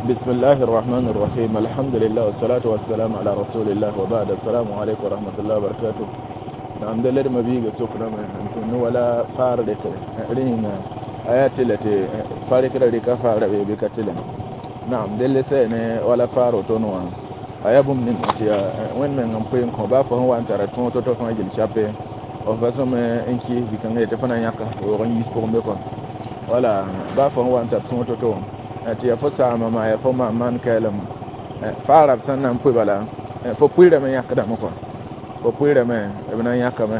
بسم الله الرحمن الرحيم الحمد لله والصلاة والسلام على رسول الله وبعد السلام عليكم ورحمة الله وبركاته نعم دلر مبيغ سكرة من ولا فارد رين آيات التي فارك ريكا فارد بكتلم نعم دل سين ولا فارو تنوا آيابم من أتيا وين من نقيم كوبا فهو أنت رتون تطفن جل شابه أو فاسم إنكي بكنغ تفنا ياك ورن يسبون بكم ولا با فهو أنت تون تطفن tɩ yaa fo saama maa yaa fo maan kɛɛlem faara b sẽn na n pʋ bala fo pʋɩɩrame yãkdame kɔ fo pʋɩɩrame b na n yãkame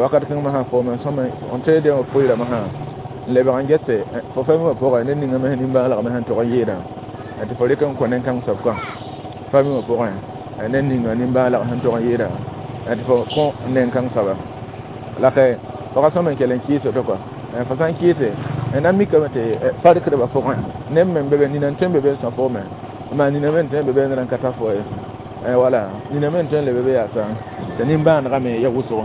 wakat kãng masã fo me sõme n teede wã pʋɩɩrame sã n lebg n gese fo fa wã pʋgẽ ned ninga me nimbãalgame sẽn tog n yɩɩdã tɩ fo rɩk n kõ nen-kãng soab kã fa wã pʋgẽ ned ninga nimbãalg sẽn tog n yɩɩdã tɩ fo kõ nen-kãng soaba la ka fo ka sõm n kell n kɩɩs to kɔ fo sã n kɩɩse na mikame tɩ farkdbã pʋgẽ neb me n be be nina n tõe n be be n sõ fo me maa nina me n tõe n be be ned n ka ta fo ye wala nina me n tõe n le be be yaasa tɩ nimbãanegame ya wʋsgo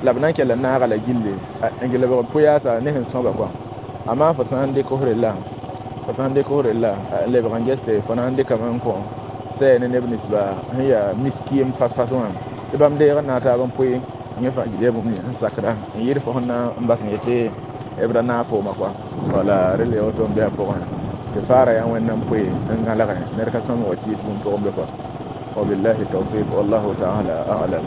la b na n kell n naaga la gilli n lebg n pʋ yaasa ne sẽn sõba kɔa amaa fo sã n dɩk f rella fo sã n dɩk f rella n lebg n gese fo na n dɩkame n kõ sɛ ne neb ninsba sẽn yaa miskiim fas-fas wã tɩ bãmb deeg n na taab n pʋɩ yẽ fãa gil ya bũmb n sakda n yɩɩd fo sẽn na n bas n yetɩ b ra naag fooma kɔa wala rel ya woto n bɩ a pʋgẽ tɩ faara yaa wẽnnaam pʋɩ n gãlgẽ ned ka sõm wa kɩɩs bũmb pʋgẽ be kɔa وبالله التوفيق والله تعالى أعلم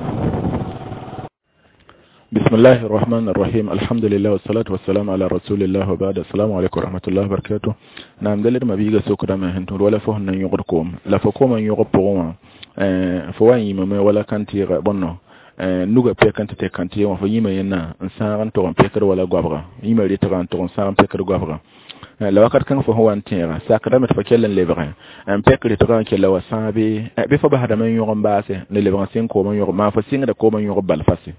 بسم الله الرحمن الرحيم الحمد لله والصلاة والسلام على رسول الله وبعد السلام عليكم ورحمة الله وبركاته نعم دلر ما بيغا سوكرا ما هنتور ولا فهن يغركم لا فكوما يغبغوا فوان يمم ولا كانتي بونو nuga pɛk n tɩ tɩ kãntɩ wã fo yĩma yẽnna n sãag n tog n pɛkd wala goabga yĩma retga n tog n sãag n pɛkd goabga la wakat kãng fo sẽn wa n tẽega sakdame tɩ fo kell n lebgẽ n pɛk retgã n kella wa sãag bɩ fo basdame n yõg n baase n lebg n sɩng koom n yõg maa fo sɩngda koom n yõg bal fase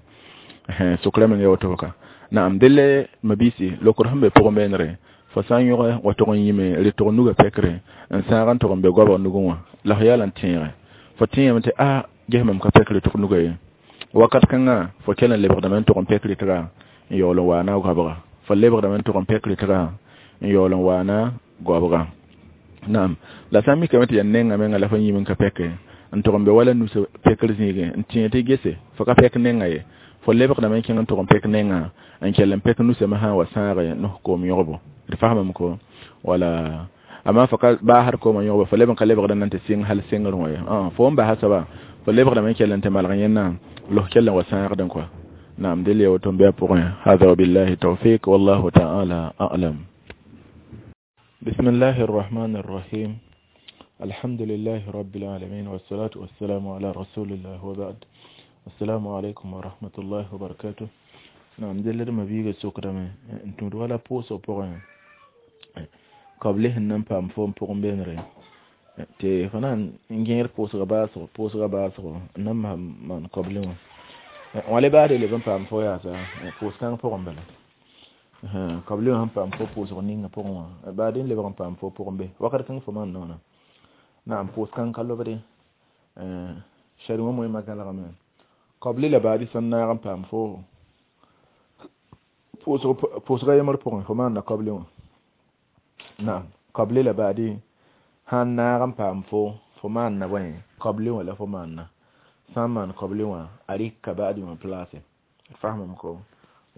sʋkrame n ya woto ka naam delle mabisi lokr sẽn be pʋgẽ beenre fo sã n yõge wa tog n yĩme retg nuga pɛkre n sãag n tog n be goabg nugẽ wã la fo yaa la n tẽege fo tẽeme tɩ a ges mam ka pɛk retg nuga ye wakat kãngã fo kell n lebgdame n tog n pɛk retga n yaool n waana goabga fo lebgdame n tog n pɛk retga n yaool n waana goabga naam la sã n mikame tɩ yaa nenga menga la fo yĩm n ka pɛke n tog n be wala nus pɛkr zĩigẽ n tẽeg tɩ gese fo ka pɛk nenga ye fo lebgdame n kẽng n tog n pɛk nenga n kell n pɛk nusame sã n wa sãage nos koom yõgbo d fasamame ko wala amma fo ka baasd koomã yõgbo fo leb n ka lebgda na n tɩ sɩng hal sengr wã ye fo n basa soaba fo lebgdame n kell n tɩ malg yẽnna لو كلا وساعدن كوا نعم دليل وتنبيه بقى هذا وبالله التوفيق والله تعالى أعلم بسم الله الرحمن الرحيم الحمد لله رب العالمين والصلاة والسلام على رسول الله وبعد السلام عليكم ورحمة الله وبركاته نعم دليل ما بيجي سكرة انتم ولا بوس بقى قبله نم بام فوم بقى بينري tɩ fo na n gẽed pʋʋsga baasgo n na maan koble wã wã le baade leb n paam fo yaasa pʋʋs kãng pʋgẽ bala koble wã sẽn paam fo pʋʋsg ninga pʋgẽ wã baade n lebg n paam fo pʋgẽ be wakat kãng fo maan noona naam pʋʋs kãng ka lobde shari wã moẽmã gãlgame koble la baade sẽn naag n paam fo pʋʋsga yembr pʋgẽ fo maanna koble wã naam koble la baade sãn naag n paam fo maanna bõe koble wã la fo maanna sã n maan koble wã a rɩka baadi wã place fasamame ko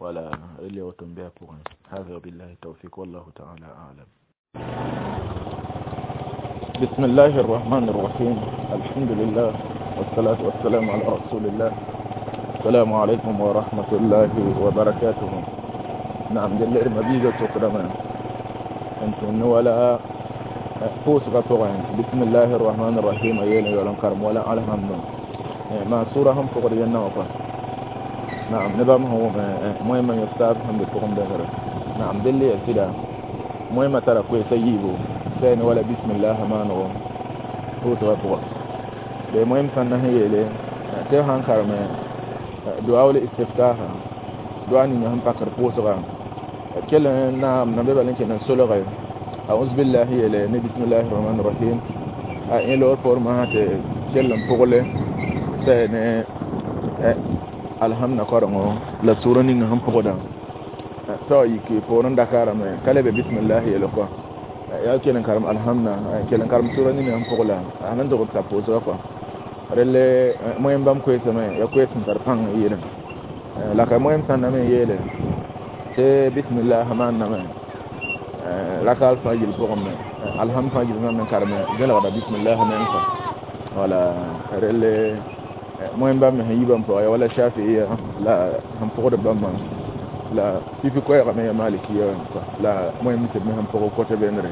wala rel ya woto n bɩ a pʋgẽ hada billahi tawfik wallahu taala alam بسم الله الرحمن الرحيم الحمد لله والصلاة والسلام على رسول الله السلام عليكم ورحمة الله وبركاته نعم دل المبيجة تقدما أنتم ولا pʋʋsga pʋgẽ bismillahi الرحمن الرحيم a yeelẽ yaool n karem wala alhamdu maa sʋra sẽn pʋgd yẽnna wã kɔa naam ne bãmb sẽn wʋm moẽmã yõk taab sẽn be pʋgẽ bẽsre naam dell yaa sɩda moẽmã tara koɛɛsa yiibu sɛ ne wala bismillah maanego pʋʋsga pʋga be moẽm sãn na sẽn yeele tɩ sãn kareme duaul istiftaha dua ninga sẽn pakd pʋʋsga kell n naam na be bal n kell n solge أعوذ بالله يلي بسم الله الرحمن الرحيم إن لور فور ما هات كلم بقوله سين الحمد كرمه لا سورة نيجا هم بقولا تو يكي فورن دكارم كله بسم الله يلقى Ya kelen karam alhamna kelen karam sura ni am pogla anan dogo ta pozo ko relle moyen bam ko sema ya ko sen tar pang yele la ka moyen san na me yele te bismillah man na me la ka alfa gil pogom me alham fa gil nan karame gela da bismillah men ko wala relle moyen bam me yibam po ya wala shafi'i la ham pogo bam la fifi ko ya me maliki ya ko la moyen mi me ham pogo ko te benre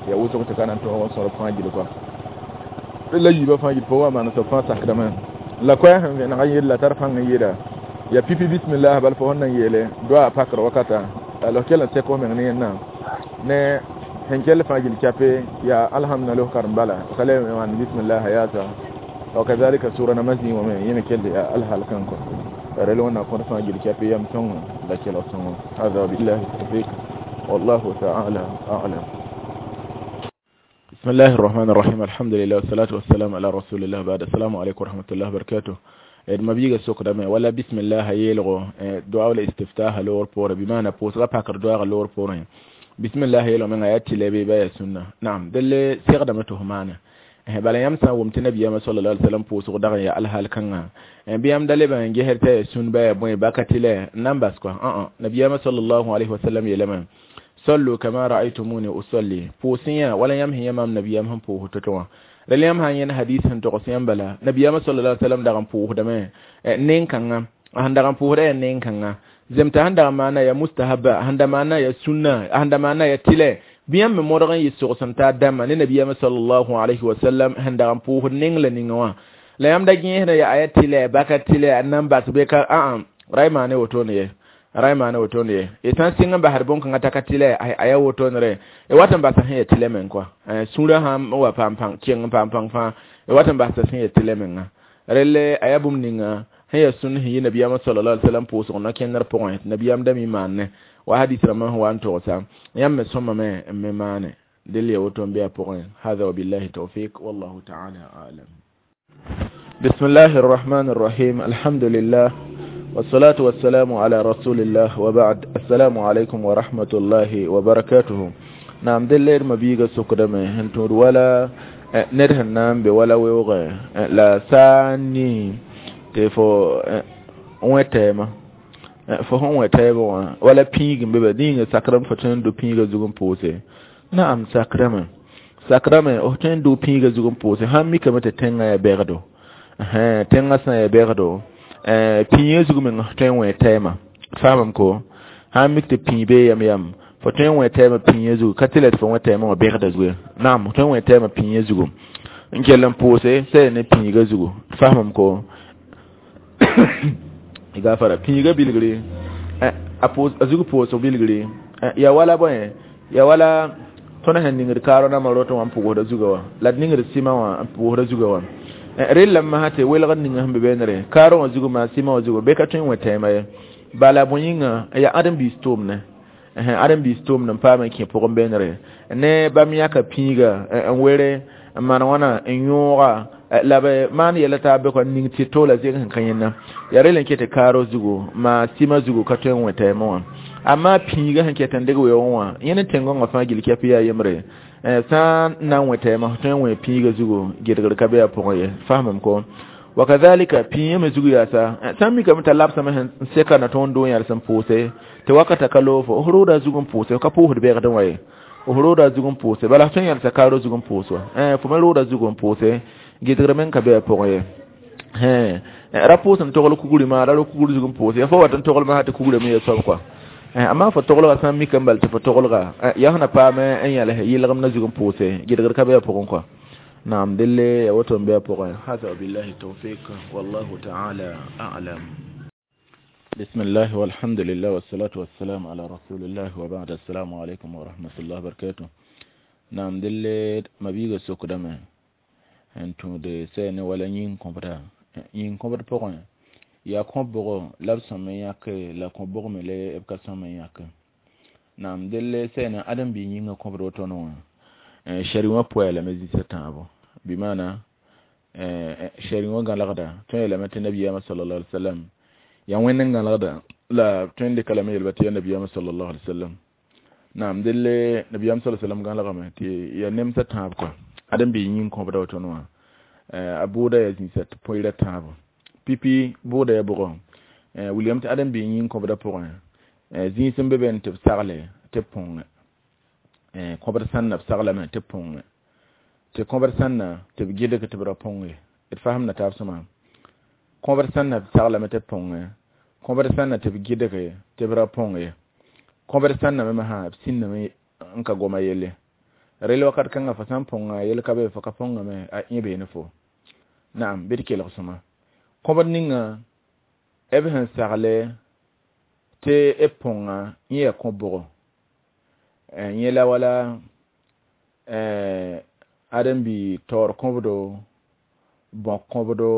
ya wuto ko kanan to on soro fa gil ko la yiba fa gil po wa man so fa sakrama la ko ya han na yella tar fa yeda ya pipi bismillah bal fo nan yele doa pakar wakata lo kela se ko men ne na ne henkel fagil chape ya alhamdulillah karbala kale man bismillah ya ta wa kadhalika sura namazi wa men yene kelle ya alhal kanko relo na ko fagil chape yam ton la kela son hada billahi tawfiq wallahu ta'ala a'lam. Bismillahir rahmanir rahim. Alhamdulillah wassalatu wassalamu ala rasulillah ba'da. Assalamu alaykum wa rahmatullahi wa barakatuh. Mabiga sokda me wala bismillah yelgo du'a wala istiftah lor por bi mana posra pakar du'a lor por bismillah yelo men ayati lebe ba ya sunna. Na'am dalle sigda mato humana bala yamsa wumti nabiyama sallallahu alaihi wasallam poso daga ya alhal kanga biyam dalle ban geherte sun ba boy bakatile numbers ko nabiyama sallallahu alaihi wasallam yelema sallu kama ra'aytumuni usalli posiya wala yamhi yamam nabiyam han po hototo reliyam han yen hadith han to qosiyam bala nabiyama sallallahu alaihi wasallam daga po hodame nen kanga han daga po hoda nen kanga zemta han daga mana ya mustahabba han da mana ya sunna han da mana ya tile biyam me modogan yisoqsan ta dama ne nabiyama sallallahu alaihi wasallam han daga po hod ning la ningawa la yam da ginya ya ayatile bakatile namba subeka a raima ne woto ne raima ne woto ne e tan singa ba harbon kan takatile aya woto ne e watan ba san ya tile men kwa sura ham wa pam pam kien pam pam fa e watan ba san ya tile men relle ayabum ninga heya sun hi nabiyama sallallahu alaihi wasallam poso na kenar point nabiyam dami manne wa hadith rama huwa anto sa yam soma me me mane dille woto be point hada billahi tawfiq wallahu ta'ala a'lam. Bismillahir rahmanir rahim. Alhamdulillah wassalatu wassalamu ala rasulillah wa ba'd. Assalamu alaikum wa rahmatullahi wa barakatuh. Na'am dille mabiga sokdame hentur wala nerhan nambe wala weoge la sani te fo wetema fo hon wetebo wala pigin bebe dinga sakram fo ten do piga zugum pose. Na'am sakrama sakrama o ten do piga zugum pose han mi kamata tenga ya berdo tenga sa ya berdo piye zugum ten wetema famam ko han mi te pibe yam yam fo ten wetema piye zugu katilet fo wetema o berdo zugu. Na'am ten wetema piye zugu nkelan pose sai ne piga zugu famam ko igafara piga bilgri a zugu poso bilgri ya wala boy ya wala tona hen ningir karo na maroto wan pugo da zugawa la ningir sima wa pugo da zugawa rilla ma hate welga ninga hambe benere karo wa zugu ma sima wa zugu be ka tun weta ma bala boyinga ya adam bi storm ne adam bi storm nan pa ma ke pogo benere ne bam ya ka piga en were man wana en yora la be man yela ta be ko ning ti tola zin kan kanyenna ya relen kete karo zugu ma sima zugu ka tun weta ma amma piga han kete ndege we won yene tengo ngafa gil ke piya yemre san nan weta ma tun we piga zugu gedgar ka be ya pogo ye fahmam ko wa kadhalika piye me zugu ya sa san mi ka mata lapsa ma hen seka na ton don yar san pose te wakata kalofo horoda zugun pose ka po hudbe ga dan waye horoda zugun pose bala tun yar sa karo zugun pose fo me roda zugun pose gedgar men ka be pogo ye rapo san togol kuguri ma raro kuguri zugun pose fo watan togol ma hata kuguri me so kwa amma fo togol ga san mi kan balte fo togol ga ya hana pa me en yala yilgam na zugun pose gedgar ka be pogo kwa. نعم دلي وتم بها بقى هذا بالله التوفيق والله تعالى أعلم. بسم الله والحمد لله والصلاة والسلام على رسول الله وبعد. السلام عليكم ورحمة الله وبركاته. نعم دلي ما بيغا سوك دم انتو دي سين ولا يين كومبرا يين كومبرا بقى يا كومبرا لابسا من ياك لا كومبرا ملي ابكا سما ياك. نعم دلي سين ادم بي يين كومبرا تونو shari'a poela mezi tabo bimana shari'a galagda to ila mata nabiyama sallallahu alaihi wasallam ya wannan galagda la tun da kalama yalbati nabiyama sallallahu alaihi wasallam Naam delle nabiyam sallallahu alaihi wasallam gãlgame tɩ ya nemsã tãab kɔa ãdem-biis yĩng kõbda woto wã a bʋʋda ya zĩisa tɩ pʋɩɩrã tãabo pipi bʋʋda ya bʋgɔ wilgame tɩ ãdem-biis yĩng kõbda pʋgẽ zĩis n be be tɩ b sagle tɩ b põngẽ kõbd sãnna b saglame tɩ b põngẽ tɩ kõbd sãnna tɩ b gɩdg tɩ b ra põng ye d fasemda taab sõma kõbd sãnna b saglame tɩ b põngẽ kõbd sãnna tɩ b gɩdge tɩ b ra põng ye kõbd sãnna me masã b sĩndame n ka goma yelle rel wakat kãngã fo sã n põnga yel ka be fo ka põngame a ẽ beene fo naam bɩ d kelg sõma kõbd ninga b sẽn sagle tɩ b põnga yẽ yaa kõ-bʋgo yẽ la wala ãdem-bi taoor kõbdo bõk kõbdo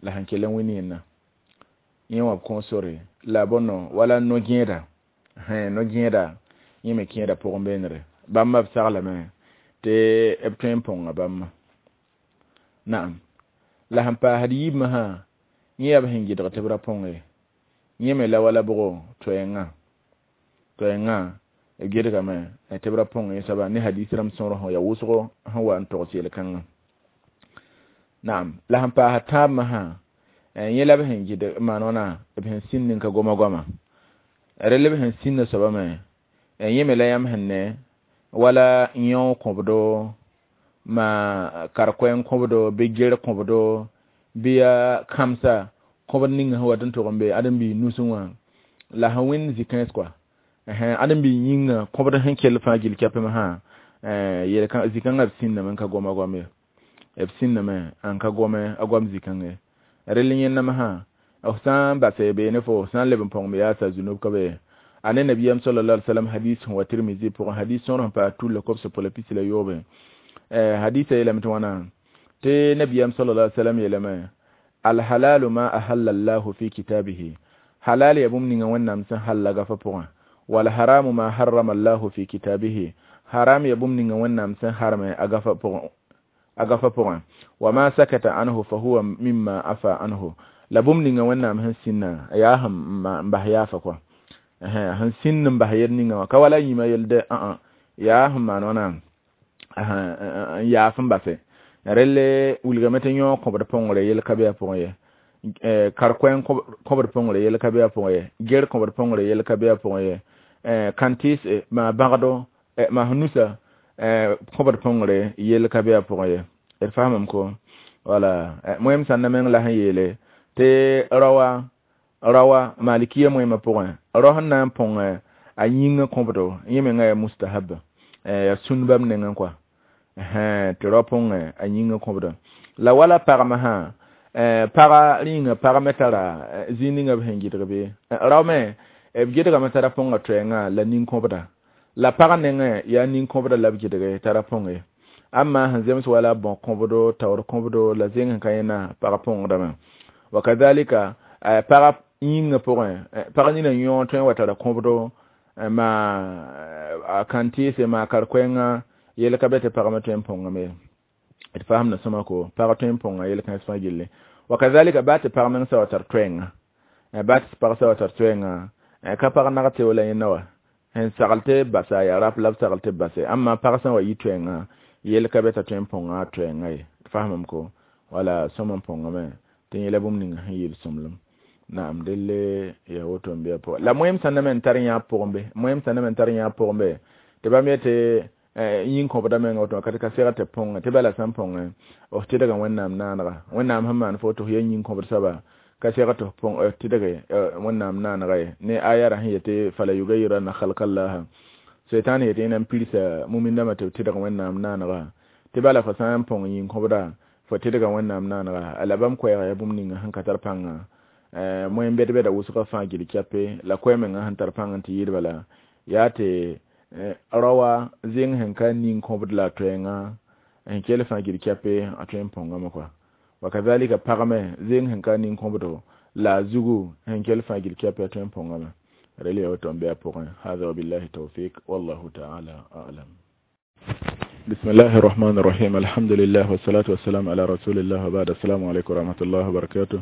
la sẽn kell n wɩ yẽnna yẽ wã b kõ sore la bõno wala no-gẽeda no-gẽeda yẽ me kẽeda pʋgẽ beenre bãmba b saglame tɩ b tõe n põnga bãmba naam la sẽn paasd yiib masã yẽ yaa b sẽn gɩdg tɩ b ra põng ye yẽ me la wala bʋgo toɛɛngã toɛɛngã b gɩdgame tɩ b ra põng yẽ soaba ne hadis rãmb sõor sẽn ya wʋsgo sẽn wa n togs yel-kãngã naam la sẽn paasd tãab masã yẽ la b sẽn gɩdg maan wãna b sẽn sĩnd n ka goma goama rel b sẽn sĩnda soaba me yẽ me la yãmb sẽn ne wala yão kõbdo ma kar-koɛɛng kõbdo bɩ ger kõbdo bɩ yaa kãmsa kõbd ninga sẽn wat n tʋg n be ãdem-biis nusẽ wã la sẽn wẽnd zĩ-kãens kɔa ãdem-biis yĩnga kõbd sẽn kell fãa gill kɛpẽ masã zĩ-kãngã b sĩndame n ka goma goam ye b sĩndame n ka gome a goam zĩ-kãng ye rel yẽnda masã f sã n base beene fo sã n leb n põng me yaasa zunub ka be ane nabiyam sallallahu alaihi wasallam hadis wa Tirmizi pʋgẽ hadis sõor sẽn paas tulla kobs pola pisi la yoobe hadisa yeelame tɩ wãna tɩ nabiyam sallallahu alaihi wasallam yeelame alhalalu ma ahalla allahu fi kitabihi halal ya bũmb ninga wẽnnaam sẽn halla gafa pʋgẽ wal haramu ma harrama allahu fi kitabihi haram ya bũmb ninga wẽnnaam sẽn harme a gafa pʋgẽ wa ma sakata anhu fa huwa mimma afa anhu la bũmb ninga wẽnnaam sẽn sĩnna yaa sẽn n bas yaafa kɔa sẽn sĩnd n bas yel ninga wã ka wala yĩma yel dɛ yaa sẽn maan wãna n yaaf n base relle wilgame tɩ yõ kõbd põngre yel ka be a pʋgẽ ye kar-koɛɛng kõbd põngre yel ka be a pʋgẽ ye ger kõbd põngre yel ka be a pʋgẽ ye kãn-tɩɩs maa bãgdo maa sẽn nusa kõbd põngre yel ka be a pʋgẽ ye d faamame ko wala moem sãnda meng la sẽn yeele tɩ rawa malikiya moemã pʋgẽ rao sẽn na n põng a yĩngã kõbdo yẽ mengã yaa mustahab yaa sũn bãmb nengẽ kɔa tɩ rao põngẽ a yĩngã kõbdo la wala pagmã sã paga rĩnga pag me tara zĩig ninga b sẽn gɩdg bɩ rao me b gɩdgame tara põnga toɛɛngã la nin-kõbda la pag nengẽ yaa nin-kõbda la b gɩdge tara põng ye amma sẽn zems wala bõ kõbdo taoor kõbdo la zeng sẽn ka yẽna pag põngdame wa kazalika pag yĩngã pʋgẽ pag nina yõ tõe n wa tara kõbdo ma a kãn-tɩɩse maa kar-koɛɛngã yel ka be tɩ pagmã tõe n põngame d fasemda sõma ko pag tõe n põnga yel-kãens fãa gilli wa kazalika baa tɩ pag meng sa wa tar toɛɛngã baa tɩ pag sa wa tar toɛɛngã ka pag nag teo la yẽnda wa sẽn sagl tɩ basa yaa rap la b sagl tɩ b base amma pag sã n wa yi toɛɛngã yel ka be t'a tõe n põnga a toɛɛngã ye d fasemame ko wala sõm n põngame tɩ yẽla bũmb ninga sẽn yeel sõmblem naam delle ya woto n be a pʋgẽ la moem sãn na me n tar yã pʋgẽ be moem sãn na me n tar yã pʋgẽ be tɩ bãmb yetɩ yĩng kõbda menga woto ka tɩ ka seg tɩ põngẽ tɩ bala sã n põngẽ f tɩdga wẽnnaam naanega wẽnnaam sẽn maan fo tɩ f ya yĩng kõbd soaba ka seg tɩ f tɩdge wẽnnaam naanega ye ne aya ra sẽn yetɩ fala yugayiranna khalkallaha seitan yetɩ yẽ na n pirsa mumindãmã tɩ b tɩdg wẽnnaam naanega tɩ bala fo sã n põng yĩng kõbda fo tɩdga wẽnnaam naanega la bãmb koɛɛga yaa bũmb ninga sẽn ka tar pãnga moen bɛd-bɛda wʋsgã fãa gil kɛpe la koɛɛ menga sẽn tar pãng n tɩ yɩɩd bala yaa tɩ rawa zẽng sẽn ka ning kõbd la a toɛɛngã sẽn kell fãa gil kɛpe a tõe n põngame kɔa wa kazalika pagme zẽng sẽn ka ning kõbdo la a zugu sẽn kell fãa gil kɛpe a tõe n põngame rel yaa woto n be a pʋgẽ hada wabillahi tawfik wallahu taala alam. بسم الله الرحمن الرحيم الحمد لله والصلاة والسلام على رسول الله وبعد السلام عليكم ورحمة الله وبركاته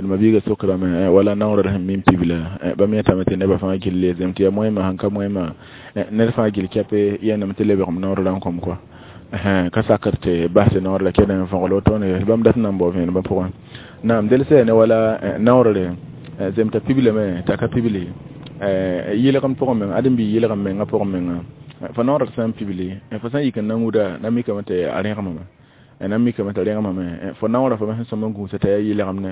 المبيغة سكرة ما ولا نور رحم ميم تبلا بمية تامتي نبا فما جل زمتي مويما هنكا مويما نرفع جل كابي يانا متلي بغم نور لانكم كوا ka sakr tɩ bas tɩ noor la kẽed n võgl wotone bãmb dat n na n bao vẽenemã pʋgẽ naam del sɛ ne wala naoorre zemta piblame t'a ka pibli yɩlgem pʋgẽ meng ãdem-bi yɩlgem mengã pʋgẽ menga fo naoor sã n pibli fo sã n yik n na wʋda na mikame tɩ a rẽgemame na mikame tɩ rẽgemame fo naoorã fo sẽn sõm n gũusa t'a yaa yɩlgem ne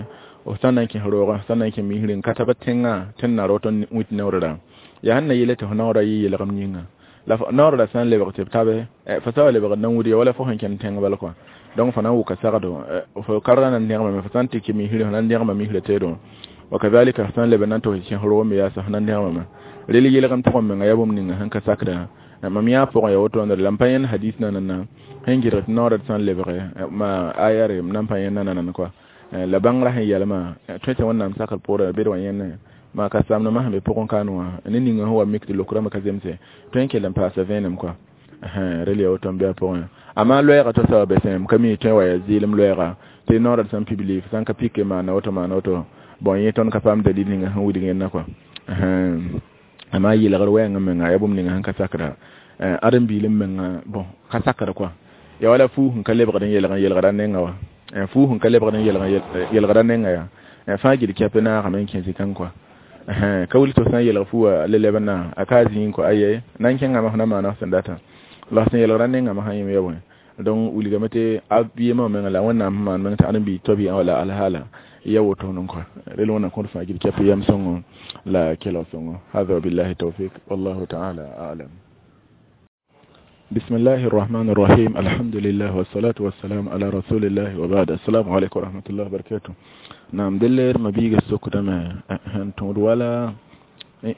f sã n na n kẽs roogã sã n na n kẽ misri n ka tab tẽngã tɩ n na rot n wit naoorã yaa sẽn na yeele tɩ fo naoorã yɩ yɩlgem yĩnga la naoorã sã n lebg tɩ b tabe fo sã wa lebg na n wʋd ya wala fo sẽn kẽnd tẽng bal kɔa donc fo na n wʋka sagdo fo karga na n dẽgemame fo sã n tɩ kẽ misri fo na n dẽgema misrã teedẽ وكذلك sã n leb n na n tog kẽs roog me yaasa fo na n dẽgemame rel yelgem pʋgẽ menga yaa bũmb ninga sẽn ka sakda mam yã pʋgẽ ya woto la m pa yẽnd hadis nanana sẽn gɩdg tɩ naoorã sã n lebge ma ayare m na n pa yẽnd nanana kɔa la bãngrã sẽn yɛlmã tõe tɩ wẽnnaam sakr poorã bed wã yẽne ma ka samdmã sẽn be pʋgẽ kaan wã ne ninga sẽn wa mik tɩ lokrãmbã ka zemse tõe n kell n paasa vẽenem kɔa rel ya woto n bɩ a pʋgẽ amaa loɛɛga to soaba be sẽm ka mi tõe wa yaa zɩɩlem loɛɛga tɩ naoorã sã n pibli sã n ka pike maana woto maana woto bon yẽ tõnd ka paam dalil ninga sẽn wilg yẽnda kɔa amaa yɩlgr wɛɛngã menga yaa bũmb ninga sẽn ka sakra ãdem-biilem menga bon ka sakr kɔa ya wala fuu sẽn ka lebgd n yelg n yelgda nenga wa fuu sẽn ka lebgd n yelg yelgda nenga yaa fãa gil kɛp naagame n kẽ zĩ-kãng kɔa ka wilg tɩ f sã n yelg fuuwã le leb n na a ka zĩig kɔ aye na n kẽngame f na maana f sẽn data la f sẽn yelgda nengame sã yẽm ya bõe donc wilgame tɩ a yemã menga la wẽnnaam sẽn maan meng tɩ ãdem-biig toa bɩ wala alhaala ya woto n kɔa rel wẽnnaam kõt fãa gil kɛp yam sõngo la kelg sõngo hada wabillahi tawfik wallahu taala alam بسم الله الرحمن الرحيم الحمد لله والصلاة والسلام على رسول الله وبعد السلام عليكم ورحمة الله وبركاته نعم دلير ما بيجي السوق ده ما هنتم ولا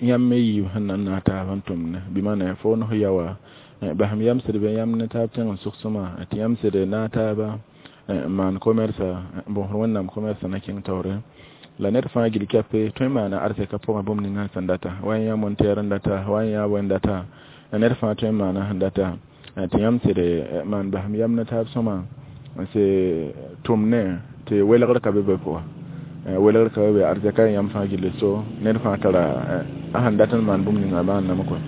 يمي هن ناتا هنتم بمعنى فون هي وا بهم يمسر بيام نتاب تن سوق سما تيمسر ناتا با مان كوميرسا بون نام كوميرسا نكين توري la ned fãa gil kɛpe tõe n maana arzɛka pʋgẽ bũmb ninga sẽn data wa yã monteer n data wa yã bõe n data la ned fãa tõe n maana sẽn data tɩ yãmb sɩd maan basem yam ne taab sõma n sɩ tʋm ne tɩ welgr ka be be pʋga welgr ka be be arzɛka yãmb fãa gilli so ned fãa tara a sẽn dat n maan bũmb ninga maanname kɔa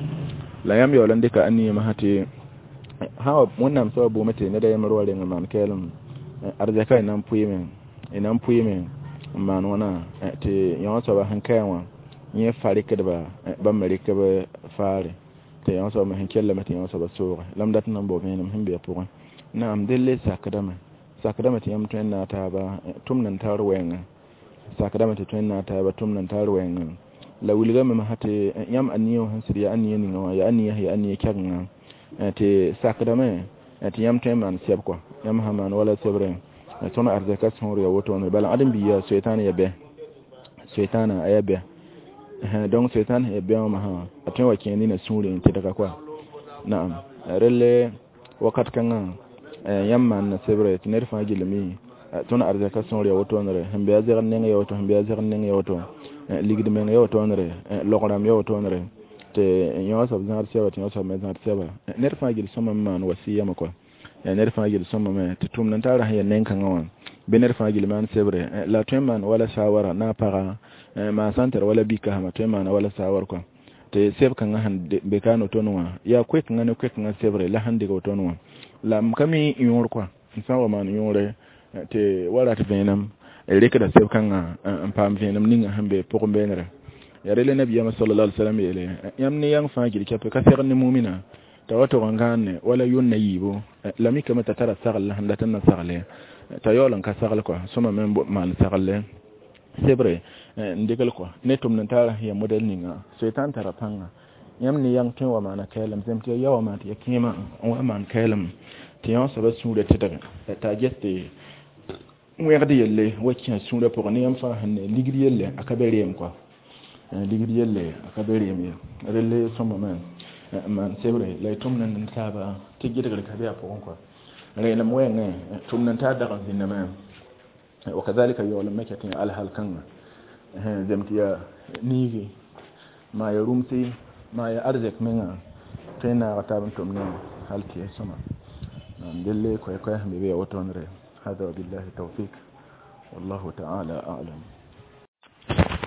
la yãmb yaool n dɩka a niimã sã tɩ sã wa wẽnnaam soaba buume tɩ ned a yembr wa reng n maan kɛɛlem arzɛka y na n pʋɩɩme y na n pʋɩɩme n maan wãna tɩ yõ soaba sẽn kaẽ wã yẽ fa rɩkdba bãmb me rɩkb faare tɩ yõ soaba me sẽn kellame tɩ yõ soaba sooge la m dat n na n bao vẽenem sẽn be a pʋgẽ naam delle sakdame sakdame tɩ yãmb tõe n naag taaba tʋmd n tar wɛɛngã sakdame tɩ tõe n naag taaba tʋmd n tar wɛɛngã la wilgame masã tɩ yãmb a nia wã sẽn sɩd yaa a nia ninga wã yaa a nia yaa a nia kɛgenga tɩ sakdame tɩ yãmb tõe n maan sɛb kɔa yãmb sã maan wala sebrẽ tõnd arzɛka sõor ya wotone bala ãdem-bi yaa soetãan ya bɛ soetãana a yaa bɛ donc soetãan ya bɛ wã masã a tõe wa kẽ nina sũurẽ n tɩdga kɔa naam relle wakat kãngã yãmb maanna sebrɛ tɩ ned fãa gilmi tõnd arzɛka sõor ya wotoonre sẽn be a zɛgd neng ya woto sẽn be a zɛgd neng ya woto ligd meng ya wotoonre logrãmb ya wotoonre tɩ yõ soab zãad sɛba tɩ yõ soab me zãad sɛba ned fãa gil sõma n maan wasiyame kɔa ned fãa gil sõmame tɩ tʋmd n tara sẽn yaa neng-kãngã wã bɩ ned fãa gil maan sebre la tõe n maan wala sawara na a paga maa sã n tar wala bikasmã tõe n maana wala sawar kɔa tɩ seb kãngã sẽn be kaan wotone wã yaa koe-kãngã ne koe-kãngã sebre la sẽn dɩg wotone wã la m ka mi yõor kɔa n sã n wa maan yõore tɩ wa rat vẽenem rɩkda seb kãngã n paam vẽenem ninga sẽn be pʋgẽ beenrɛ yaa rele nabiyaamã sallallahu alaihi wasallam yeele yãmb ne yãng fãa gil kɛpɛ ka segd ne mumina t'a wa tog n gãane wala yʋnna yiibu la mikame t'a tara sagl la sẽn dat n na sagle t'a yaool n ka sagl kɔa sõma me maan sagle sebre n dɩgl kɔa ne tʋmd n tara sẽn yaa modɛl ninga soetãn tara pãnga yãmb ne yãng tõe n wa maana kɛɛlem zem tɩ ya ya wa maan tɩ ya kẽema n wa maan kɛɛlem tɩ yõ soaba sũurã tɩdge t'a ges tɩ wẽgd yelle wa kẽ sũurã pʋgẽ ne yãmb fãa sẽn ne ligd yelle a ka be reem kɔa ligd yelle a ka be reem ye relle sõmame n maan sebre la y tʋmd n taaba tɩ gɩdgr ka be a pʋgẽ kɔa reelem wɛɛngẽ tʋmd n taa dag n zĩndame wakadhalika yaool n me ket n alhal kãnga zem tɩ yaa niigi maa ya rũmsi maa ya arzɛk menga tõe n naaga taab n tʋm ne hal tɩ ya sõma Delle koy koy hambe be wotonre. Hada billahi tawfik, wallahu ta'ala a'lam.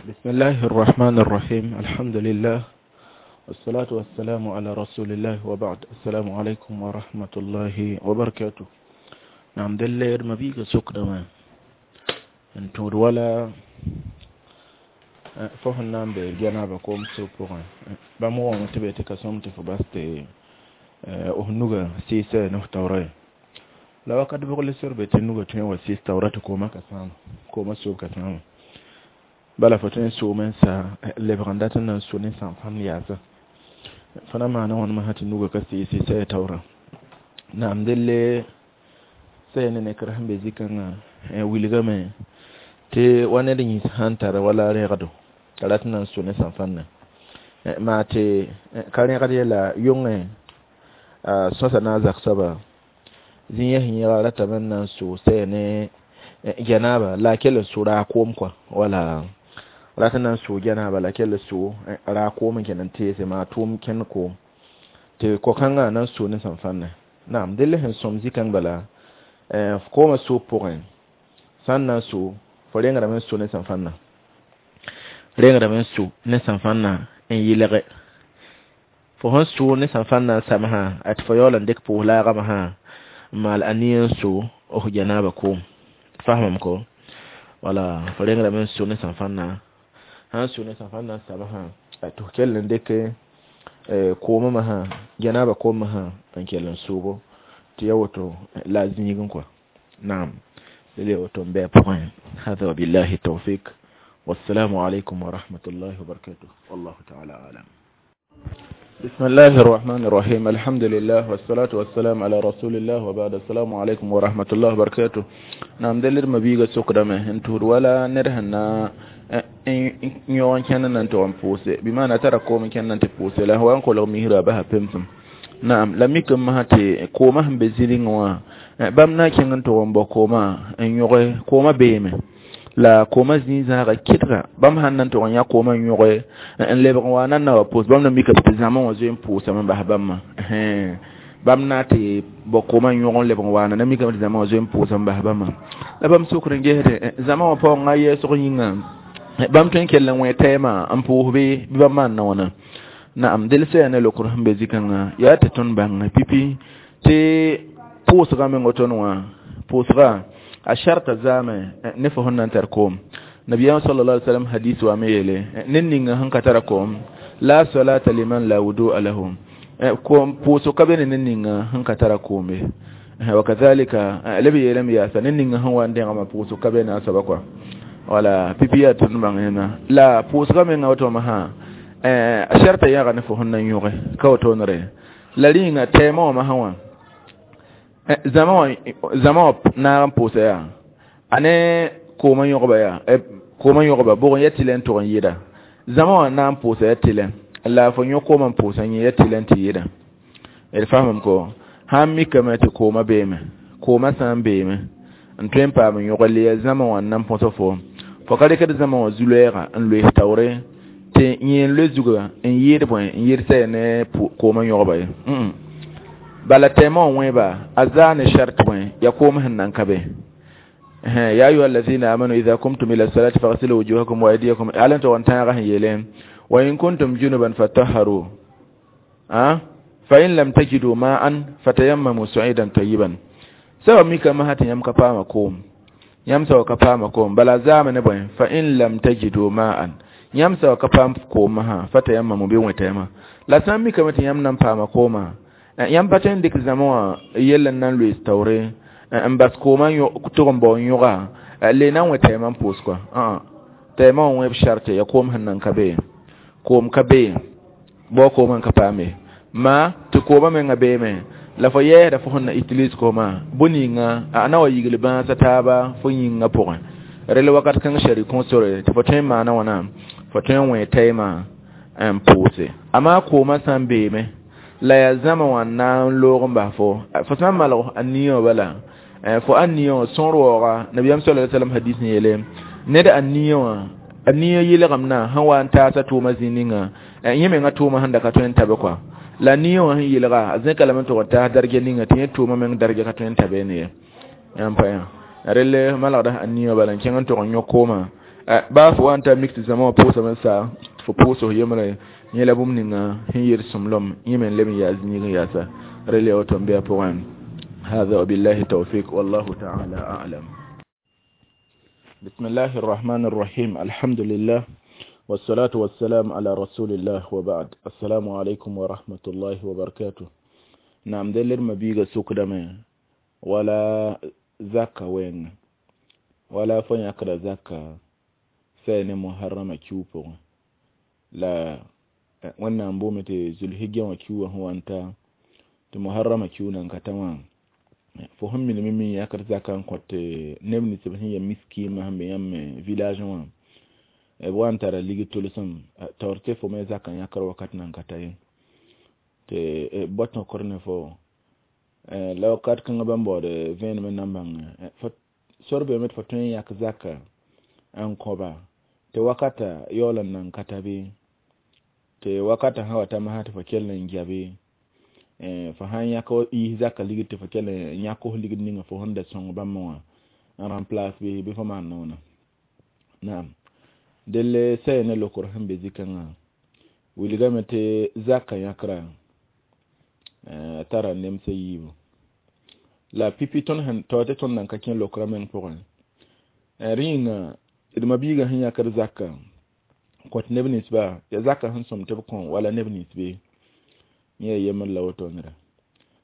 Bismillahir rahmanir rahim. Alhamdulillah, wassalatu wassalamu ala rasulillah, wa ba'd. Assalamu alaikum wa rahmatullahi wa barakatuh. Nam delle mabiga sukdama n tũud wala fo sẽn na n be janaba koom so pʋgẽ, bãmb wãng tɩ be tɩ ka sõm tɩ fo bas tɩ f nuga sɩɩsɛ ne f taoora ye. La wakat bʋg le sor be tɩ nuga tõe n wa sɩɩs taoora tɩ koomã ka sãama, koomã soob ka sãama? Bala fo tõe n soome n sa lebg n dat n na n so ne sãn-fãmb yaasa fo na maana wãn masã tɩ nuga ka sɩɩsɩ sɛ taoora. Naam, delle sɛ ne nekr sẽn be zĩ-kãngã wilgame tɩ wa ned yĩns sãn tar wala rẽgdo t'a rat n na n so ne sãn-fãnnã, maa tɩ ka rẽgd yɛla yõngẽ sõsa na n zak soaba zĩ-yɛs yẽga ratame n na n so sɛ ne janaaba la a kell n so raag koom kɔa, wala rat n na n so janaaba la a kell n so raag koom n kẽnd n teese maa tʋʋm kẽnd koom tɩ ko-kãngã na n so ne sãn-fãnnã. Naam, delle sẽn sõm zĩ-kãng bala koomã soob pʋgẽ sã n na n so, fo rẽngdame n so ne sãn-fãnnã, rẽngdame n so ne sãn-fãnnã n yɩlge. Fo sẽn so ne sãn-fãnnã n samsã, a tɩ fo yaool n dɩk pʋʋs laagã masã n maal a nia n so f janaaba koom. Fasmame ko wala fo rẽngdame n so ne sãn-fãnnã, sãn so ne sãn-fãnnã n samsã, tɩ f kell n dɩk koomã masã, janaaba koom masã n kell n soobo tɩ ya woto la a zĩigẽ kɔa. Naam, lele woto n bɩ a pʋgẽ. Hada wabillahi tawfik, wassalamu alaikum wa rahmatullahi wa barakatuh, wallahu ta'ala alam. بسم الله الرحمن الرحيم. الحمد لله والصلاة والسلام على رسول الله، وبعد. السلام عليكم ورحمة الله وبركاته. نعم، دلر مبيغة سقدمة انتور ولا نرهنا يوان كان ننتو أنفوسي بما نترى كوم كان ننتفوسي لا هو أنقل مهرا بها بمسم. نعم، لم يكن مهتي كوما هم بزيرين وا بامنا كان ننتو أنبو كوما يوغي كوما بيمه la kooma zĩig zãaga kɩdga bãmb sãn na n tʋg n yã koomã n yõge n lebg n wa nan na wa pʋʋs, bãmb na mikame tɩ zãmã wã zoe n pʋʋsame n bas bãmbã. Bãmb na tɩ bao koomã n yõg n lebg n waana na mikame tɩ zãmã wã zoe n pʋʋsame n bas bãmbã. La bãmb sokr n gesde zãmã wã paoongã yɛɛsg yĩnga, bãmb tõe n kell n wẽ tɛɛmã n pʋʋs bɩ bãmb maan na wãna. Naam, del sã yaa ne lokr sẽn be zĩ-kãngã yaa tɩ tõnd bãng pipi tɩ pʋʋsgã meng woto wã pʋʋsga a sharta zame ne fo sẽn na n tar koom. Nabiyam sallallahu alaihi wasallam hadis wa me yele ne ninga sẽn ka tara koom, la salata liman la wudu'a lahu, koom pʋʋsg ka be ne ninga sẽn ka tara koome. Wa kadhalika lb yeelame yaasa ne ninga sẽn wa n dẽgmã pʋʋsg ka be ne a soaba kɔa. Wala pipi yaa tõnd bãng yẽna la pʋʋsgã menga woto masã a sharta yãga ne fo sẽn na n yõge ka wotoonre la rĩnga tɛɛmã wã masã wã zãma wã naag n pʋʋsa yaa ane koomã yõgba yaa koomã yõgba bʋg n ya tɩlɛ n tʋg n yɩɩda zãma wã na n pʋʋsa ya tɩlɛ la fo yõ koomã n pʋʋsa yẽ ya tɩlɛ n tɩ yɩɩda. D fasmame ko sãn mikame tɩ koomã beeme, koomã sã n beeme n tõe n paam n yõg le ya zãma wã n na n põsa fo, fo ka rɩkd zãma wã zu-loɛɛga n loees taoore tɩ yẽ n loe zuga n yɩɩd bõe n yɩɩd sɛ ne koomã yõgba ye. Bala tɛɛmã wã wẽeba a zaa ne shart bõe ya koom sẽn na n ka be. Ya ayuha allazina amanu idha kumtum ila salati faghsilu wujuhakum wa aydiyakum alan tʋg n tãagã sẽn yeele wa in kuntum junuban fatahharu fa in lam tajidu ma'an fatayammamu su'idan tayyiban. Sawa mika ma tɩ yãmb ka paama koom, yãmb sawa ka paama koom bala zaame ne bõe fa in lam tajidu ma'an, yãmb sawa ka paam koom masã fatayammamu bɩ wẽ tɛɛmã. La sã n mikame tɩ yãmb na n paama koomã, yãmb pa tõe n dɩk zãma wã yell n na n loees taoore n bas koomã tʋg n bao n yõga le na n wẽ tɛɛmã n pʋʋs kɔa. Tɛɛmã wã wẽeb sharte ya koom sẽn na n ka be, koom ka be bao koomã n ka paame ma tɩ koomã menga beeme la fo yɛɛsda fo sẽn na utilise koomã bõe-ninga a na wa yigl bãasa taaba fo yĩngã pʋgẽ. Rel wakat kãng shari kõ sore tɩ fo tõe n maana wãna fo tõe n wẽ tɛɛmã n pʋʋse. Amaa koomã sã n beeme la yaa zãma wã n na n loog n bas fo, fo sã n malg a nia wã bala fo a nia wã sõor waooga. Nabiyaam sallallahu alaihi wasallam hadis n yeele ned a nia wã a nia yɩlgemdã sẽn wa n taasa tʋʋmã zĩ ninga yẽ menga tʋʋmã sẽn da ka tõe n tabe kɔa. La niyo wã sẽn yelga a zẽka lame n tʋg n taas darge ninga tɩ yẽ tʋʋmã meng darge ka tõe n ta beene ye. Yãmb pa yã relle malgda a niyo bala n kẽng n tʋg n yõ koomã baa fo wa n ta mik tɩ zãma wã pʋʋsame n sa tɩ fo pʋʋs f yembre yẽ la bũmb ninga sẽn yel sõmblem yẽ me n leb n yaa zĩig n yaasa relle ya woto n be a pʋgẽ. هذا وبالله التوفيق والله تعالى أعلم. بسم الله الرحمن الرحيم. الحمد لله والصلاة والسلام على رسول الله وبعد. السلام عليكم ورحمة الله وبركاته. نعم دلر مبيغا سوق دمي ولا زكا وين ولا فن يقرأ زكا سين محرم كيوبو لا wannan bomete zulhijja wa kiwa huwanta te muharrama kiunan katama fo sẽn minime me yakd zaka n kõt neb nins b sẽn ya miskiimã sẽn be yãmb village wã b wa n tara ligd tʋlsem taoor tɩ fo me zaka n yãkr wakat nan ka ta ye tɩ b tõkr ne fo la wakat kãngã bãmb baood vẽenem n na n bãng sor beeme tɩ fo tõe n yãk zaka n kõba tɩ wakata yaool n nan ka ta bɩ tɩ wakata sã wa ta masã tɩ fo kell n gia bɩ fo sãn yãk yiis zaka ligd tɩ fo kell n yãk f ligd ninga fo sẽn da sõng bãmb wã n remplace bɩ fo maan noona. Naam delle saya ne lokor sẽn be zikãngã wilgame tɩ zaka yãkra tara nemsã yiibu la pipi tõnd sẽn taoor tɩ tõnd nan ka kẽ lokra meng pʋgẽ rẽ yĩnga d mabiigã sẽn yãkd zaka kõt neb ninsba ya zaka sẽn sõm tɩ b kõ wala neb nins be yẽ ya yembr la woto neda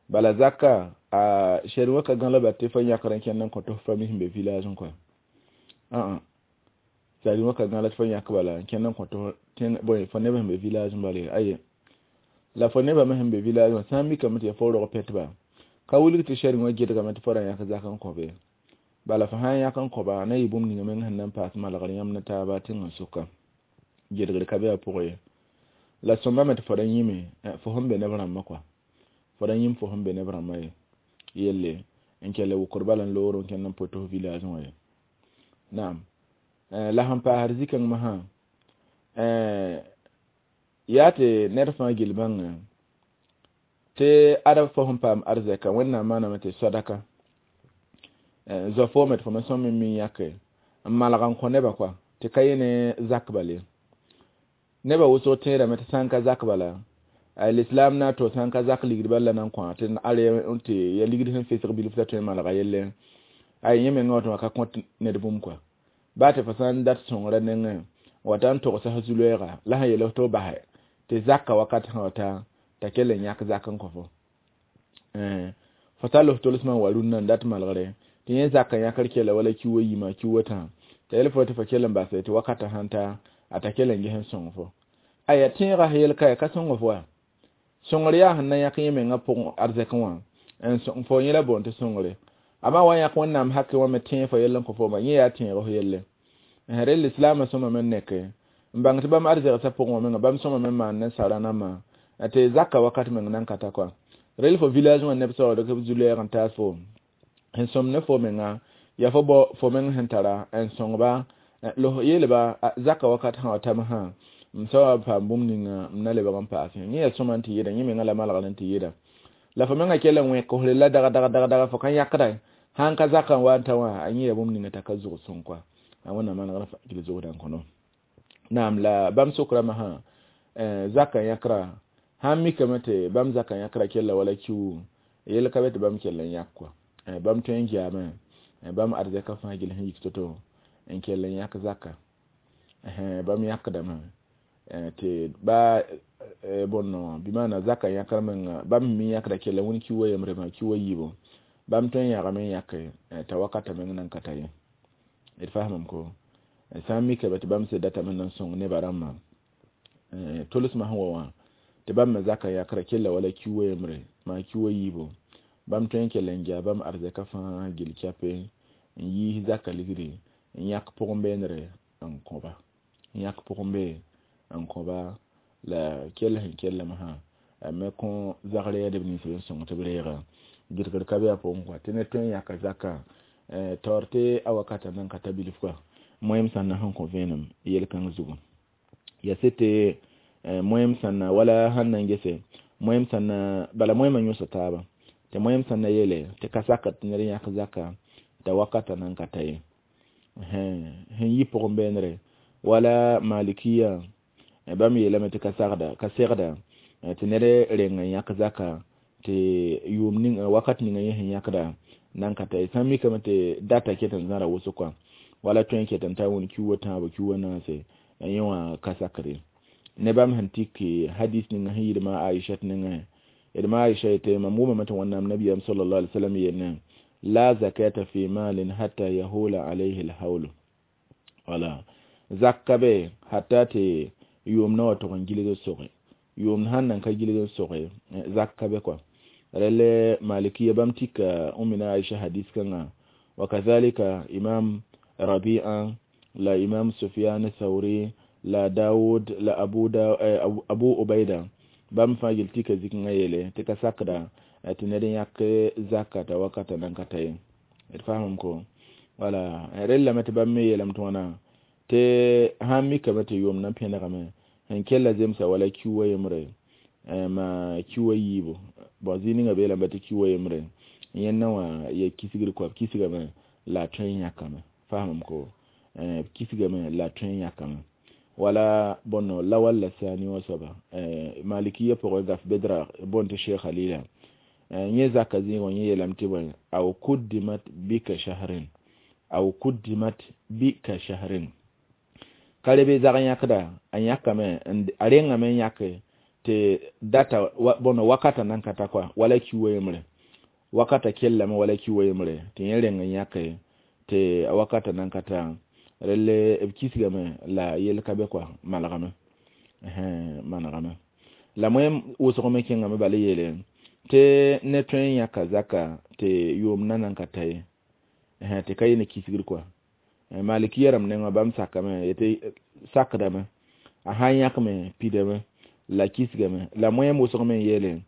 bala zaka a sɛd wã ka gã la ba tɩ fo yãkr n kẽnd n kõ tɩ f famille sẽn be village n kɔa ã sari wã ka gã la tɩ fo yãk bala n kẽnd n kõ tɩ bõe fo neb sẽn be village n bala aye la fo nebã me sẽn be village wã sã n mikame tɩ ya fo rog pɛtba ka wilg tɩ sɛd wã gedgame tɩ fo ra yãk zak n kõ be bala fo sã n yãk n kõba na yɩ bũmb ninga meng sẽn na n paas malgr yãmb ne taaba tẽngã sʋka gedgr ka be a pʋgẽ ye la sõmbame tɩ fo ra yĩme fo sẽn be neb rãmbã kɔa fo ra yĩm fo sẽn be neb rãmbã ye yelle n kell wʋkr bala n loor n kẽnd n pot f village wã ye. Naam la sẽn paasd zĩ-kãng masã yaa tɩ ned fãa gill bãnga tɩ ad fo sẽn paam arzɛka Wẽnnaam maaname tɩ sadaka zoa foome tɩ fo me sõm n mi yãke n malg n kõ nebã kɔa tɩ ka yẽ ne zak bale nebã wʋsg tẽedame tɩ sã n ka zak bala l'islam na to sã n ka zak ligd bal la nan kõ tɩ are tɩ ya ligd sẽn fesg bilf t'a tõe n malga yelle ay yẽ mengã wa tɩ wã ka kõt ned bũmb kɔa baa tɩ fo sã n dat sõngrã nengẽ wata n togsã zu-loɛɛga la sẽn yel tɩ b basɛ tɩ zaka wakat sã wata t'a kell n yãk zak n kõ fo fo tall f tolsmã n wa rũnnã n dat malgre tɩ yẽ zaka yãkr kella wala ki wa yima ki wa tã t'a yel fo tɩ fo kell n basɛ tɩ wakatã sãn ta a ta kell n ges n sõng fo aya tẽegã yel ka ya ka sõng fo wa sõngr yaa sẽn na yãk yẽ mengã pʋgẽ arzɛkẽ wã n sõng fo yẽ la boond tɩ sõngre amma wa yãk Wẽnnaam hakẽ wã me tẽeg fo yell n kõ fo yẽ yaa tẽeg f yelle rel lislaamã sõma me neke n bãng tɩ bãmb arzɛgsã pʋgẽ wã menga bãmb sõma me maan ne sara-nambã tɩ zaka wakat meng nan ka ta kɔa rel fo village wã neb saood b zu-loɛɛg n taas fo n sõm ne fo menga ya fo bao fo meng sẽn tara n sõngba los yeelba zaka wakat sã wa tam sã m soa paam bũmb ninga m na lebg n paas yẽ yaa sõma n tɩ yɩda yẽ menga la malgr n tɩ yɩda la fo menga kell n wẽk fo la daga daga daga daga fo ka yãkda sãn ka zakã wa n ta wã a yẽ ya bũmb ninga t'a ka zʋg sõng kɔa a Wẽnnaam manegr gil zʋgdã n kõno naam la bãmb sokraã sã zaka yãkra sãn mikame tɩ bãmb zaka yãkra kella wala kiu yel ka be tɩ bãmb kell n yãk kɔa bãmb tõe n geame bãmb arzɛka fãa gill sẽn yik to-to n kell n yãk zaka bãmb yãkdame tɩ ba bõn bɩ maana zaka yãkr menga bãmb mi yãkda kella wẽn ki wa yembre maa ki wa yiibu bãmb tõe n yãgame n yãke t'a wakata meng nan ka ta ye d faamame ko sã n mikame tɩ bãmb sed datame n na n sõng nebã rãmbã tolsmã sẽn wa wã tɩ bãmb me zaka yãkra kella wala ki wa yembre maa ki wa yiibu bãmb tõe n kell n gea bãmb arzɛka fãa gil kɛpe n yiis zaka ligri n yãk pʋgẽ-beenre n kõba n yãk pʋgẽ-bee n kõba la kell sẽn kellame sã a me kõ zagr yɛdb nins b n sõng tɩ b reega gɩdgr ka be a pʋgẽ kɔa tɩ ned tõe n yãka zaka taoor tɩ a wakata nan ka ta bilf kɔa moem sãnna sẽn kõ vẽenem yel-kãng zugu ya sɩ tɩ moem sãnna wala sãn na n gese Moẽm sẽn na bala moẽmã yõsa taaba tɩ moẽm sẽn na yeele tɩ ka sakd tɩ ned yãk zaka t'a wakata nan ka ta ye. Sẽn yi pʋgẽ beenre wala malikiya bãmb yeelame tɩ ka sagda ka segda tɩ ned reng n yãk zaka tɩ yʋʋm ning wakat ninga yẽ sẽn yãkda nan ka ta ye. Sã n mikame tɩ data ket n zãra wʋsg kɔa wala tõe n ket n ta wẽnd kiuwa tãabo kiuwa naase yẽ wã ka sakr ye. Ne bãmb sẽn tik hadis ninga sẽn yɩɩd ma Aishat nengẽ, d ma Aisha yetɩ mam wʋmame tɩ Wẽnnaam nabiyam sallallahu alaihi wasallam yeelne la zakata fi malin hatta yahula alayhi alhawlu. Wala zakka be hatta tɩ yʋʋm na wa tʋg n gilg n soge, yʋʋm sãn nan ka gilg n soge zakka be kɔa. Relle malikiya bãmb tika umina Aisha hadis kãngã wa kazalika Imam Rabi'a la Imam Sufyan Thawri la Dawud la Abu, da, Abu Ubaida bãmb fãa yel tika zikngã yeele tɩ ka sakda tɩ ned yãk zaka t'a wakata nan ka ta ye. D faamam ko wala rellame tɩ bãmb me yeelame tɩ wãna tɩ sãn mikame tɩ yʋʋm na pẽnegame sẽn kella zemsa wala kiuwa yembre ma kiuwa yiibu bon zĩig ninga beelame tɩ kiuwa yembre yẽnna wã ya kisgr kɔa b kisgame la a tõe n yãkame. Faamam ko b kisgame la a tõe n yãkame wala bõnno lawal la sani wã soaba malikiya pʋgẽ gaf bedra bõn tɩ Sheikh Halila yẽ zaka zĩigã yẽ yeelame tɩ bõe aw kuddimat bika shahrin aw kuddimat bika shahrin ka rebe zag yãkda a yãkame a rengame n yãke tɩ data bõno wakata nan ka ta kɔa wala kiuwa yembre wakata kellame wala kiuwa yembre tɩ yẽ reng n yãke tɩ a wakata nan ka ta relle b kisgame la yel ka be kɔa malgame manegame la moẽm wʋsg me kẽngame bala yeele tɩ ne tõe n yãka zaka tɩ yʋʋm na nan ka ta ye tɩ ka yɩ ne kisgr kɔa. Malikiya rãmb nengã bãmb sakame yetɩ sakdame a sãn yãkme pidame la kisgame la moẽm wʋsg me n yeele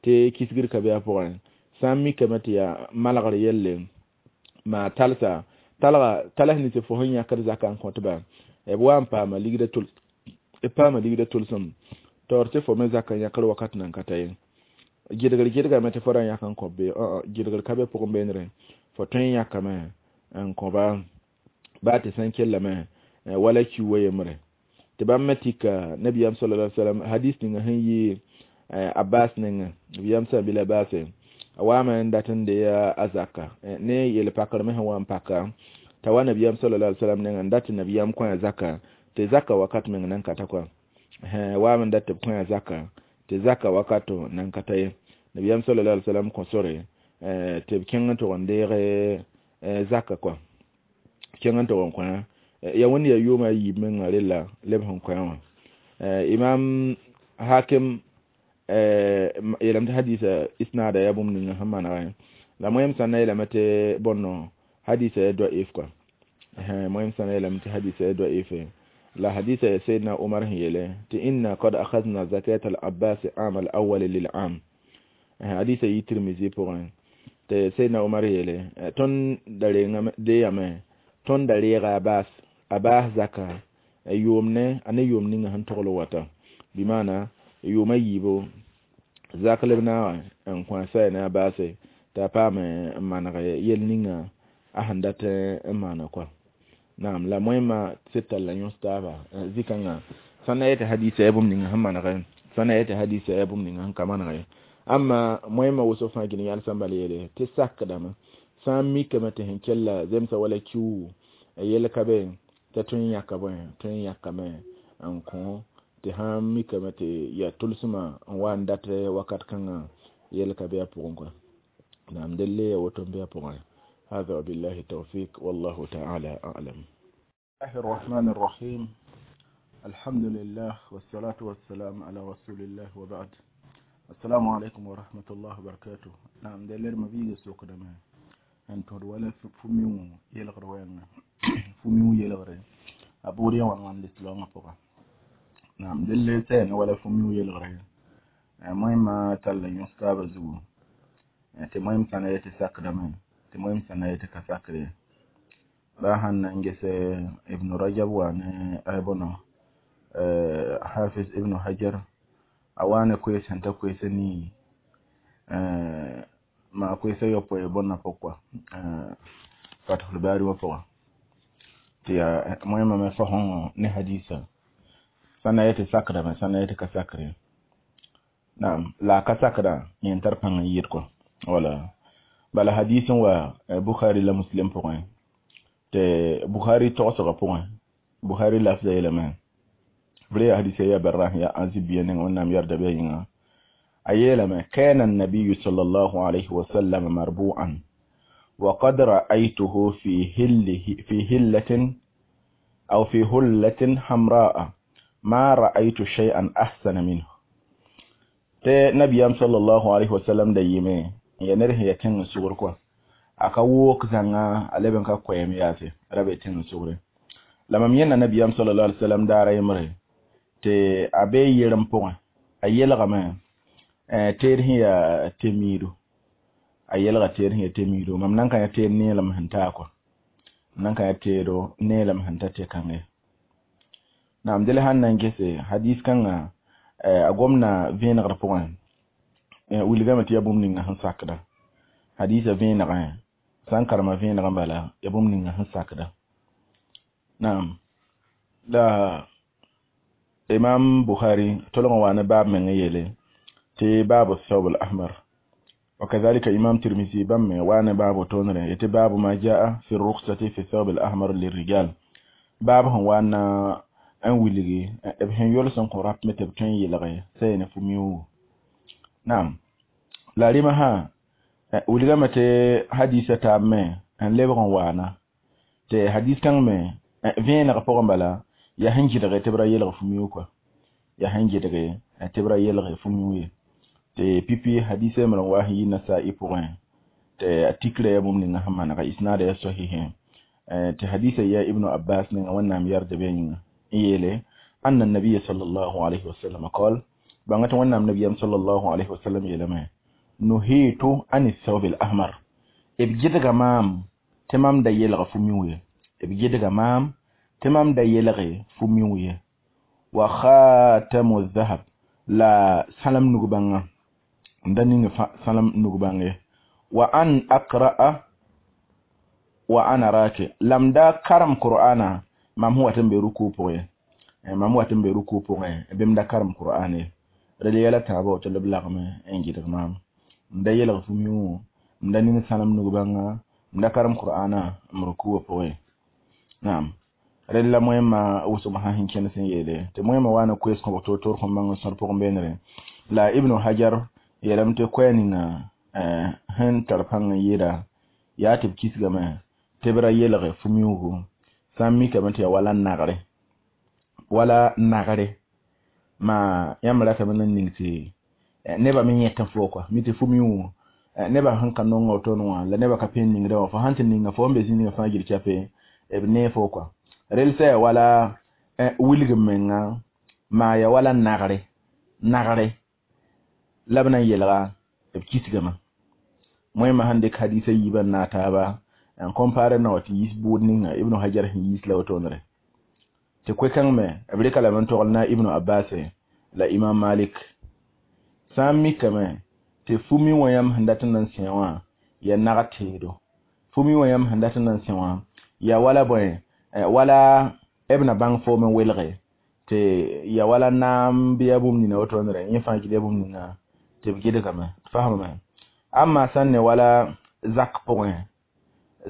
tɩ kisgr ka be a pʋgẽ sã n mikame tɩ yaa malgr yelle maa talsa talga talas nins fo sẽn yãkd zaka n kõtba b wa n paama ligda tol b paama ligda tolsem taoor tɩ fo me zaka n yãkr wakat nan ka ta ye. Gɩdgr gɩdgame tɩ fo ra yãk n kõ be gɩdgr ka be pʋgẽ beenre fo tõe n yãkame n kõba baa tɩ sẽn kellame wala kiuwa yembre tɩ bãmb me tika nabiyam sallallahu alaihi wasallam hadis ninga sẽn yɩ Abbas nengẽ nabiyam sã bila baase a waame n dat n dee a zaka ne yel pakr me sẽn wa n paka t'a wa nabiyam sallallahu alaihi wasallam nengẽ n dat tɩ nabiyam kõ a zaka tɩ zaka wakat meng nan ka ta kɔa waame n dat tɩ b kõ a zaka tɩ zaka wakato nan ka ta ye. Nabiyam sallallahu alaihi wasallam kõ sore tɩ b kẽng n tʋg n deeg zaka kɔa kẽng n tʋg n kõ ya wẽnd yaa yʋʋma a yiib mengã rella leb sẽn kõ wã. Imam Hakim yeelame tɩ hadisa isnada yaa bũmb ninga sẽn manegẽ la moẽm sã na yeelame tɩ bõnno hadisa ya da'if kɔa moẽm sã na yeelame tɩ hadisa ya da'if la hadisa ya Sayyidina Umar sẽn yeele tɩ inna qad akhadna zakat al-Abbas am al-awwal lil-am hadisa yi Tirmizi pʋgẽ tɩ Sayyidina Umar yeele tõnd da rengame deeyame tõnd da reega Abbas zaka yʋʋm ne a ne yʋʋm ninga sẽn togl wata bɩmaana yʋʋma yiibo zak leb naagã n kõ a saya ne a baase t'a paam n maneg yel ninga a sẽn dat n maana kɔa. Naam la moẽmã sɩd talla yõs taaba zĩ-kãngã sã na yetɩ hadisa yaa bũmb ninga sẽn manegẽ sã na yetɩ hadisa yaa bũmb ninga sẽn ka manegẽ amma moẽmã wʋsg fãa gil yãlsã bal yeele tɩ sakdame sã n mikame tɩ sẽn kella zemsa wala kiu yel ka be t'a tõe n yãka bõe tõe n yãkame n kõ tɩ sãn mikame tɩ yaa tʋlsmã n wa n dat wakat kãngã yel ka be a pʋgẽ kɔa. Naam delle ya woto n be a pʋgẽ. هذا وبالله التوفيق والله تعالى أعلم. الله الرحمن الرحيم الحمد لله والصلاة والسلام على رسول الله وبعد السلام عليكم ورحمة الله وبركاته. نعم دلر ما بيجي سوق دما أنت ولا فميو يلغر وين فميو يلغر أبوري وان وان الإسلام فوق. نعم دلر تاني ولا فميو يلغر المهم تلا يستاب زو المهم سنة يتساق دما المهم سنة يتكساق باهن نجس ابن رجب وأنا ابنه حافظ ابن حجر A wa ne koees sẽn ta koees nii ma koees a yopoe bõnna pʋg kɔa Fathul Bari wã pʋgã tɩ yaa moẽmã me fasõngõ ne hadisa sã na yetɩ sakdame sã na yetɩ ka sakre naam la a ka sakdã yẽ n tar pãng n yɩɩd kɔ wala bala hadis n wa Bukhari la Muslim pʋgẽ tɩ Bukhari togsgã pʋgẽ Bukhari lafza yeelame b yaa hadisa ya Barra ya Azib biya nengã Wẽnnaam yarda bɩ a yĩnga a yeelame kana النبي صلى الله عليه وسلم مربوعا وقد رأيته في هلة أو في هلة حمراء ما رأيت شيئا أحسن منه tɩ nabiyam sallallahu alaihi wasallam da yɩme ya ned sẽn ya tẽng sugr kɔa a ka wook zãnga a leb n ka koɛɛm yaase ra be tẽng sugre la mam yẽnda nabiyam sallallahu alaihi wasallam daara yembre tɩ a bee yerem pʋgẽ a yelgame teed sẽn yaa temiido a yelga teed sẽn yaa temiido mam nan ka yã teed neelem sẽn taa kɔa nan ka yã teedo neelem sẽn ta tɩ-kãnge naam dẽla sãn na n gese hadis kãngã a gomna vẽenegr pʋgẽ wilgame tɩ yaa bũmb ninga sẽn sakda hadisa vẽenegẽ sã n karema vẽenegã bala yaa bũmb ninga sẽn sakda naam la imam Bukhari tolg n wa ne baab meng yeele tɩ baabu thawb al-ahmar وكذلك إمام ترمذي بم وانا باب تونر يتي باب ما جاء في الرخصة في الثوب الأحمر للرجال باب هو وانا n wilgi b sẽn yols n kõ rap me tɩ b tõe n yelge sã ne fu-mioogo naam la rɩmã sã wilgame tɩ hadisa taab me n lebg n waana tɩ hadis kãng me vẽeneg pʋgẽ bala yaa sẽn gɩdge tɩ b ra yelg fu-mioog kɔa yaa sẽn gɩdge tɩ b ra yelg fu-mioog ye tɩ pipi hadisa yembr n wa sẽn yi Nasa'i pʋgẽ tɩ a tikrã yaa bũmb ninga sẽn manega isnaada yaa sahihẽ tɩ hadisa yaa Ibnu Abbas ninga Wẽnnaam yarda bɩ a yĩnga yeele أن النبي صلى الله عليه وسلم قال بانغت وانام نبي صلى الله عليه وسلم يلما نهيت عن الثوب الأحمر ب gɩdga maam tɩ mam da yelg fu-miu ye b gɩdga maam tɩ mam da yelge fu-miu ye wa khatamu dhahab la sãlem nug-bãngã n da ning sãlem nug-bãng ye wa an aqra'a wa ana raki lam da karem qur'ana mam sẽn wat n be ruku pʋgẽ mam wat n be ruku pʋgẽ bɩ m da karem qur'an ye rel yɛla tãabã tɩ b lagme n gɩdg maam m da yelg fu-miu m da ning sãnem nug-bãnga m da karem qur'ana m rukuwã pʋgẽ naam rel la moẽmã wʋsg sã sẽn kẽnd sẽn yeele tɩ moẽmã wa ne koees kõbg toor-toor kõn bãng n sõd pʋgẽ beenere la Ibnu Hajar yeelame tɩ koɛɛ ninga sẽn tar pãng n yɩɩda yaa tɩ b kisgame tɩ b ra yelge fu-mioogo sã n mikame tɩ yaa wala nagre ma yãmb ratame n ning tɩ nebã me yẽt fo kɔa mi tɩ fu-mioogo nebã sẽn ka nong woto wã la nebã ka pẽn ningdã wã fo sãn tɩ ninga fo n be zĩ ninga fãa gil chape b nee fo kɔa rel sã yaa wala wilg menga maa yaa wala nagre la b na n yelga b kisgame moẽmã sẽn dɩk hadisa yiibã n naag taaba n compare na wa tɩ yis bʋʋd ninga Ibnu Hajar sẽn yiis la wotone tɩ koe-kãng me b rɩka lame n togl na Ibnu Abbas la Imam Malik sã n mikame tɩ fu-mi wã yãmb sẽn dat n na n sẽ wã yaa nag teedo fu-mi wã yãmb sẽn dat n na n sẽ wã yaa wala bõe wala b na bãng foom n welge tɩ yaa wala naam bɩ yaa bũmb nina wotonere yẽ fãa gil yaa bũmb ninga tɩ b gɩdgame fasmame amma sã n ne wala zak pʋgẽ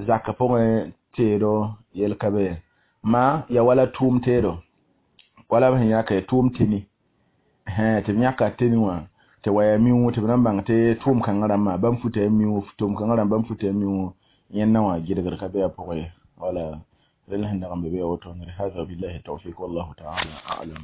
zak pʋgẽ teedo yel ka be ma ya wala tʋʋm teedo wala b sẽn yãka tʋʋm teni tɩ b yãka teni wã tɩ wa yaa miu tɩ b na n bãng tɩ tʋʋm kãngã rãmbã bãmb futa ya miu tʋʋm kãngã rãmb bãmb futa ya miu yẽnda wã gɩdgr ka be a pʋgẽ ye wala rel sẽn dag n be be ya woto هذا بالله التوفيق والله تعالى أعلم.